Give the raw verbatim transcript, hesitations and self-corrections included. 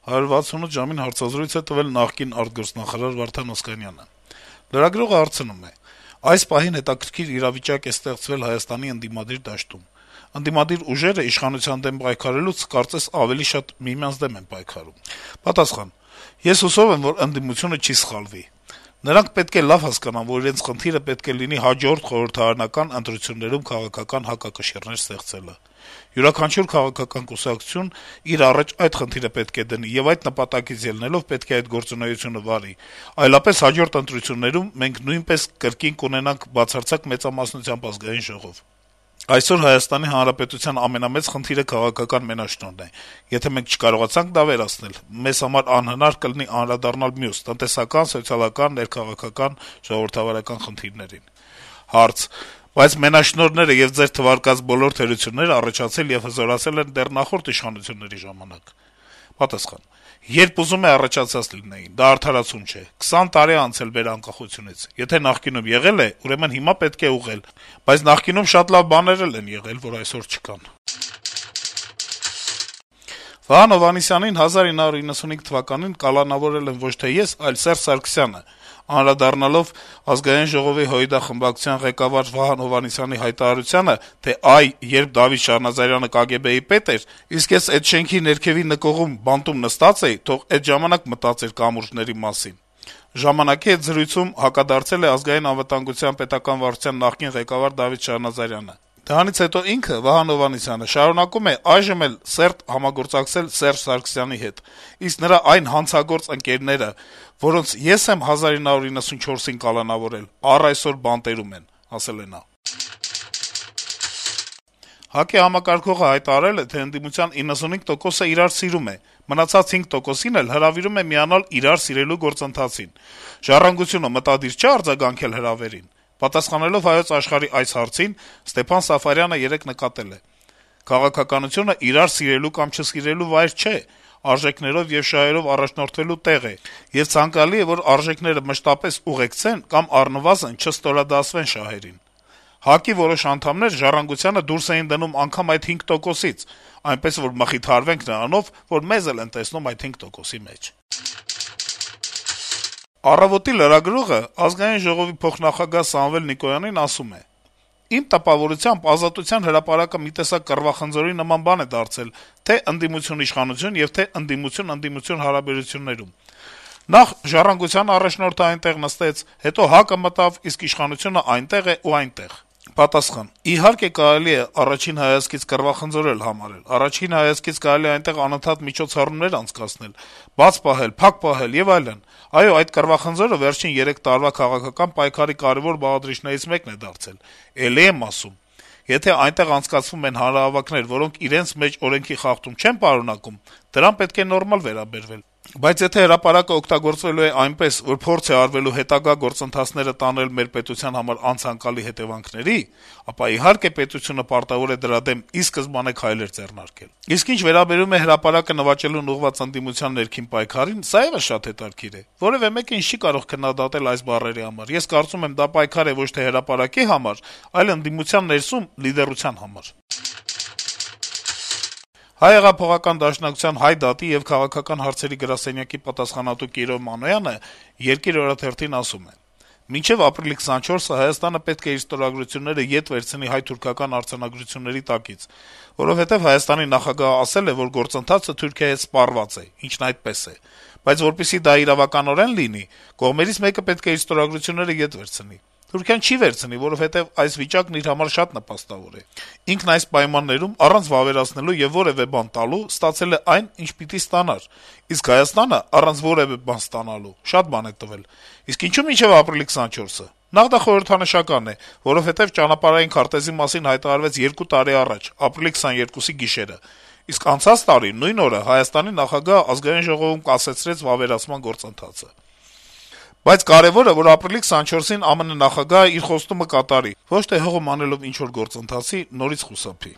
«հարյուր վաթսունութ ժամին» հարցազրույց է տվել նախկին արտգործնախարար Վարդան Օսկանյանը։ Լրագրողը հարցնում է. - «Այս պահին հետաքրքիր իրավիճակ է ստեղծվել Հայաստանի ընդդիմադիր դաշտում: Ընդդիմադիր ուժերը իշխանության դեմ պայքարելուց կարծես ավելի շատ միմյանց դեմ են պայքարում»: Պատասխան. - «Ես հուսով եմ, որ ընդդիմությունը չի սխալվի: Նրանք պետք է լավ հասկանան, որ իրենց խնդիրը պետք է լինի հաջորդ խորհրդարանական ընտրություններում քաղաքական հակակշիռներ ստեղծելը: Յուրաքանչյուր քաղաքական կուսակցություն իր առաջ այդ խնդիրը պետք է դնի եւ այդ նպատակից ելնելով պետք է այդ գործունեությունը վարի: Այլապես հաջորդ ընտրություններում մենք նույնպես կրկին կունենանք բացարձակ մեծամասնությամբ Ազգային ժողով: Այսօր Հայաստանի Հանրապետության ամենամեծ խնդիրը քաղաքական մենաշնորհն է: Եթե մենք չկարողացանք դա վերացնել, մեզ համար անհնար կլինի անդրադառնալ մյուս` տնտեսական, սոցիալական, ներքաղաքական, ժողովրդավարական խնդիրներին»: Հարց. - «Բայց մենաշնորհները եւ ձեր թվարկած բոլոր թերությունները առաջացել եւ հզորացել են դեռ նախորդ իշխանությունների ժամանակ»: Պատասխան. - «Երբ ուզում է առաջացած լինեին: Դա արդարացում չէ: քսան տարի է անցել մեր անկախությունից: Եթե նախկինում եղել է, ուրեմն հիմա պետք է ուղղել: Բայց նախկինում շատ լավ բաներ էլ են եղել, որ այսօր չկան»: Վահան Հովհաննիսյանին հազար ինը հարյուր իննսունհինգ թվականին կալանավորել են ոչ թե ես, այլ Սերժ Սարգսյանը: Անդրադառնալով Ազգային ժողովի ՀՅԴ խմբակցության ղեկավար Վահան Հովհաննիսյանի հայտարարությանը, թե այ, երբ Դավիթ Շահնազարյանը ԿԳԲ-ի պետ էր, իսկ ես էդ շենքի ներքեւի նկուղում բանտում նստած էի, թող էդ ժամանակ մտածեր կամուրջների մասին: «Ժամանակ»-ի հետ զրույցում հակադարձել է Ազգային անվտանգության պետական վարչության նախկին ղեկավար Դավիթ Շահնազարյանը: Դրանից հետո ինքը` Վահան Հովհաննիսյանը, շարունակում է այժմ էլ սերտ համագործակցել Սերժ Սարգսյանի հետ, իսկ նրա այն հանցագործ ընկերները, որոնց ես եմ հազար ինը հարյուր իննսունչորսին կալանավորել, առ այսօր բանտերում են», - ասել է նա: ՀԱԿ-ի համակարգողը հայտարարել է, թե ընդդիմության իննսունհինգ տոկոսը իրար սիրում է, մնացած հինգ տոկոսին էլ հրավիրում է միանալ իրար սիրելու գործընթացին: «Ժառանգությունը մտադիր չէ՞ արձագանքել հրավերին»: Պատասխանելով «Հայոց Աշխարհ»-ի այս հարցին, Ստեփան Սաֆարյանը երեկ նկատել է. - «Քաղաքականությունը իրար սիրելու կամ չսիրելու վայր չէ, արժեքներով եւ շահերով առաջնորդվելու տեղ է, եւ ցանկալի է, որ արժեքները մշտապես ուղեկցեն կամ առնվազն չստորադասվեն շահերին: ՀԱԿ-ի որոշ անդամներ «Ժառանգությանը» դուրս էին դնում անգամ այդ հինգ տոկոսից, այնպես որ մխիթարվենք նրանով, որ մեզ էլ են տեսնում այդ հինգ տոկոսի մեջ»: «Առավոտ»-ի լրագրողը Ազգային ժողովի փոխնախագահ Սամվել Նիկոյանին ասում է. - «Իմ տպավորությամբ Ազատության հրապարակը մի տեսակ կռվախնձորի նման բան է դարձել թե' ընդդիմություն-իշխանություն եւ թե' ընդդիմություն-ընդդիմություն հարաբերություններում: Նախ «Ժառանգության» առաջնորդը այնտեղ նստեց, հետո ՀԱԿ-ը մտավ, իսկ իշխանությունը այնտեղ է ու այնտեղ»: Պատասխան. - «Իհարկե կարելի է առաջին հայացքից կռվախնձոր համարել, առաջին հայացքից կարելի է այնտեղ անընդհատ միջոցառումներ անցկացնել, բաց պահել, փակ պահել եւ այլն: Այո, այդ կռվախնձորը վերջին երեք տարվա քաղաքական պայքարի կարեւոր բաղադրիչներից մեկն է դարձել: Էլի եմ ասում, եթե այնտեղ անցկացվում են հանրահավաքներ, որոնք իրենց մեջ օրենքի խախտում չեն պարունակում, դրան պետք է նորմալ վերաբերվել: Բայց եթե հրապարակը օգտագործվելու է այնպես, որ փորձ է արվելու հետագա գործընթացները տանել մեր պետության համար անցանկալի հետեւանքների, ապա իհարկե պետությունը պարտավոր է դրա դեմ ի սկզբանե քայլեր ձեռնարկել: Իսկ ինչ վերաբերում է հրապարակը նվաճելուն ուղղված ընդդիմության ներքին պայքարին, սա եւս շատ հետաքրքիր է: Որեւէ մեկը ինձ չի կարող քննադատել այս բառերի համար: Ես կարծում եմ, դա պայքար է ոչ թե հրապարակի համար, այլ ընդդիմության ներսում լիդերության համար»: Հայ հեղափոխական դաշնակցության Հայ դատի եւ քաղաքական հարցերի գրասենյակի պատասխանատու Կիրով Մանոյանը «Երկիր» օրաթերթին ասում է. - «Մինչեւ ապրիլի քսանչորսը Հայաստանը պետք է իր ստորագրությունները ետ վերցնի հայ-թուրքական արձանագրությունների տակից, որովհետեւ Հայաստանի նախագահը ասել է, որ գործընթացը Թուրքիայի հետ սպառված է, ինչն այդպես է: Բայց որպեսզի դա իրավականորեն լինի, կողմերից մեկը պետք է իր ստորագրությունները ետ վերցնի: Թուրքիան չի վերցնի, որովհետեւ այս վիճակն իր համար շատ նպաստավոր է: Ինքն այս պայմաններում, առանց վավերացնելու եւ որեւէ բան տալու, ստացել է այն, ինչ պիտի ստանար: Իսկ Հայաստանը, առանց որեւէ բան ստանալու, շատ բան է տվել: Իսկ ինչո՞ւ մինչեւ ապրիլի քսանչորսը: Նախ` դա խորհրդանշական է, որովհետեւ ճանապարհային քարտեզի մասին հայտարարվեց երկու տարի առաջ, ապրիլի քսաներկուսի գիշերը: Իսկ անցած տարի, նույն օրը, Հայաստանի նախագահը Ազգային ժողովում կասեցրեց վավերացման գործընթացը: Բայց կարեւորը, որ ապրիլի քսանչորսին ԱՄՆ նախագահը իր խոստումը կատարի, ոչ թե հողում անելով ինչ-որ գործընթացի նորից խուսափի»: